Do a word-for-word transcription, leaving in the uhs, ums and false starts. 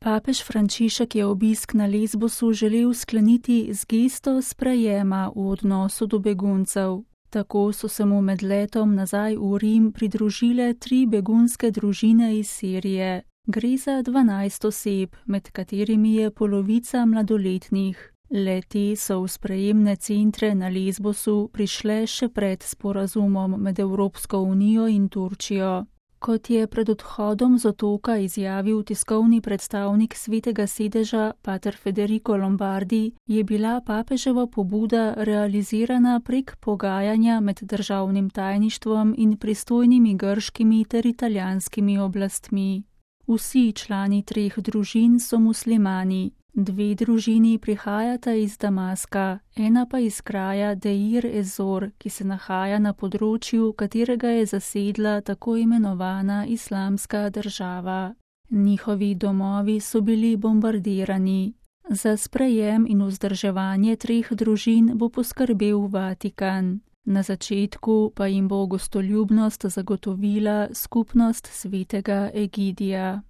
Papež Frančišek je obisk na Lesbosu želel skleniti z gesto sprejema v odnosu do beguncev. Tako so se mu med letom nazaj v Rim pridružile tri begunske družine iz Sirije. Gre za dvanajst oseb, med katerimi je polovica mladoletnih. Le-te so v sprejemne centre na Lesbosu prišle še pred sporazumom med Evropsko unijo in Turčijo. Kot je pred odhodom z otoka izjavil tiskovni predstavnik Svetega sedeža pater Federico Lombardi, je bila papeževa pobuda realizirana prek pogajanja med državnim tajništvom in pristojnimi grškimi ter italijanskimi oblastmi. Vsi člani treh družin so muslimani. Dve družini prihajata iz Damaska, ena pa iz kraja Deir ez-Zor, ki se nahaja na področju, katerega je zasedla tako imenovana islamska država. Njihovi domovi so bili bombardirani. Za sprejem in vzdrževanje treh družin bo poskrbel Vatikan. Na začetku pa jim bo gostoljubnost zagotovila skupnost svetega Egidija.